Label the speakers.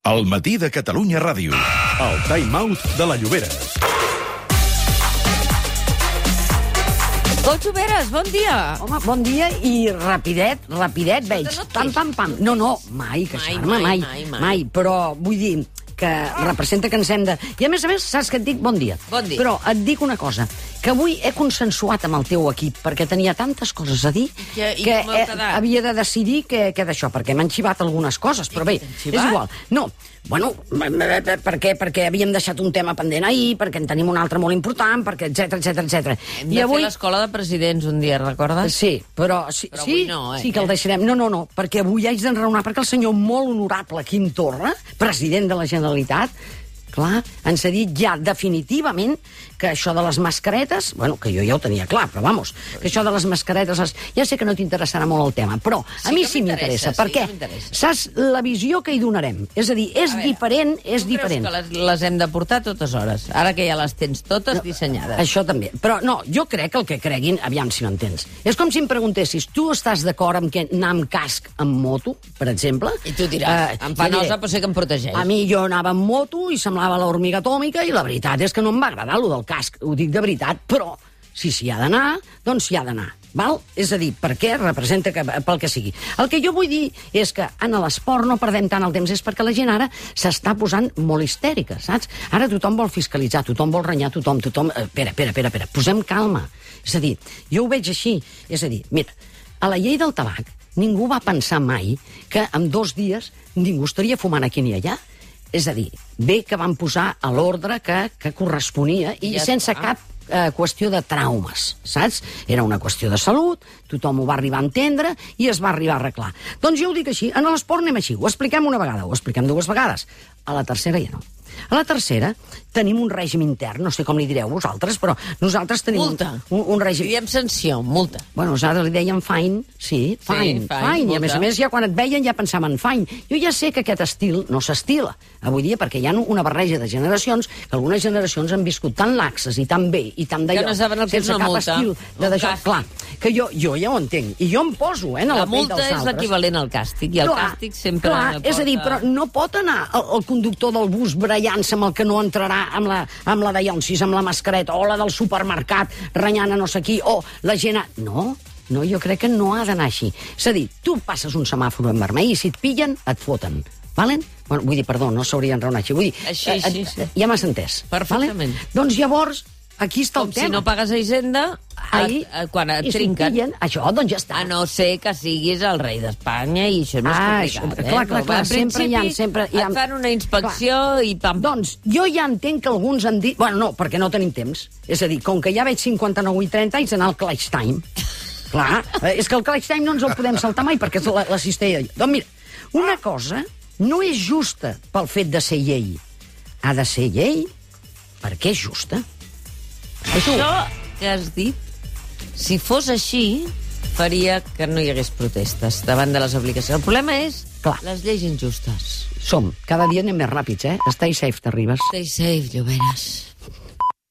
Speaker 1: El matí de Catalunya Ràdio. El time-out de la Llobera.
Speaker 2: Tot Lloberes, bon dia.
Speaker 3: Home, bon dia i rapidet veig. Pam, pam, pam. No, mai, queixar-me, mai. Però vull dir que representa que ens hem de... I a més, saps que et dic bon dia.
Speaker 2: Bon dia.
Speaker 3: Però et dic una cosa, que avui he consensuat amb el teu equip, perquè tenia tantes coses a dir que havia de decidir què d'això, perquè m'han xivat algunes coses, però bé, és igual. No, bueno, perquè havíem deixat un tema pendent ahir, perquè en tenim un altre molt important, perquè etcètera.
Speaker 2: Hem de fer l'escola de presidents un dia, recordes?
Speaker 3: Sí, però
Speaker 2: avui no,
Speaker 3: sí que el deixarem. No, perquè avui haig d'enraonar, perquè el senyor molt honorable Quim Torra, president de la Generalitat, clar, ens ha dit ja definitivament que això de les mascaretes, bueno, que jo ja ho tenia clar, però vamos, que això de les mascaretes, ja sé que no t'interessarà molt el tema, però a mi sí m'interessa, perquè saps la visió que hi donarem? És a dir, és diferent.
Speaker 2: Tu creus que les hem de portar a totes hores? Ara que ja les tens totes dissenyades.
Speaker 3: Això també, però no, jo crec que el que creguin, aviam si m'entens, és com si em preguntessis, tu estàs d'acord amb que anar amb casc amb moto, per exemple?
Speaker 2: I tu diràs, em fa nosa, però sé que em protegeix.
Speaker 3: A mi jo anava amb moto i semblava l'hormiga atòmica i la veritat és que no em va agradar lo del casc, ho dic de veritat, però si s'hi ha d'anar, doncs s'hi ha d'anar. Val? És a dir, perquè representa que, pel que sigui. El que jo vull dir és que en l'esport no perdem tant el temps, és perquè la gent ara s'està posant molt histèrica, saps? Ara tothom vol fiscalitzar, tothom vol renyar, tothom... Espera, posem calma. És a dir, jo ho veig així. És a dir, mira, a la llei del tabac ningú va pensar mai que en 2 dies ningú estaria fumant aquí ni allà. És a dir, bé que van posar a l'ordre que corresponia i ja sense cap qüestió de traumes, saps? Era una qüestió de salut, tothom ho va arribar a entendre i es va arribar a arreglar. Doncs jo ho dic així, en l'esport anem així, ho expliquem una vegada, ho expliquem 2 vegades. A la tercera ja no. A la tercera tenim un règim intern, no sé com li direu vosaltres, però nosaltres tenim un règim...
Speaker 2: Diem sanció, multa.
Speaker 3: Bueno, nosaltres li dèiem fine, sí, fine. I a més ja quan et veien ja pensaven fine. Jo ja sé que aquest estil no s'estila avui dia perquè hi ha una barreja de generacions que algunes generacions han viscut tan laxes i tan bé i tan d'allò,
Speaker 2: que no saben el que és una multa.
Speaker 3: Estil de deixar... Clar, que jo ja ho entenc i jo em poso en la pell dels altres.
Speaker 2: La multa és l'equivalent al càstig i el càstig sempre...
Speaker 3: Clar, és a dir, però no pot anar el conductor del bus barallant-se amb el que no entrarà amb la de Llonsis, amb la mascareta, o la del supermercat renyant a no sé qui, o la gent... No, jo crec que no ha d'anar així. És a dir, tu passes un semàfor en vermell i si et pillen, et foten. Valen? Bueno, vull dir, perdó, no s'hauria d'enraonar així. Vull dir,
Speaker 2: així.
Speaker 3: Ja m'has entès.
Speaker 2: Perfectament.
Speaker 3: Vale? Doncs llavors, aquí està el tema.
Speaker 2: Si no pagues a Hisenda, quan et trinquen...
Speaker 3: Pillen, això, doncs ja està.
Speaker 2: A no ser que siguis el rei d'Espanya i això és més complicat.
Speaker 3: Clar, sempre hi ha...
Speaker 2: Et fan una inspecció i pam.
Speaker 3: Doncs jo ja entenc que alguns han dit... Bueno, no, perquè no tenim temps. És a dir, com que ja veig 59 i 30 anys d'anar al clutch time. Clar, és que el clutch time no ens el podem saltar mai perquè és la cistella. Doncs mira, una cosa no és justa pel fet de ser llei. Ha de ser llei perquè és justa.
Speaker 2: Això que has dit, si fos així, faria que no hi hagués protestes davant de les obligacions. El problema és les lleis injustes.
Speaker 3: Cada dia anem més ràpids, eh? Stay safe, t'arribes.
Speaker 2: Stay safe, Lloberes.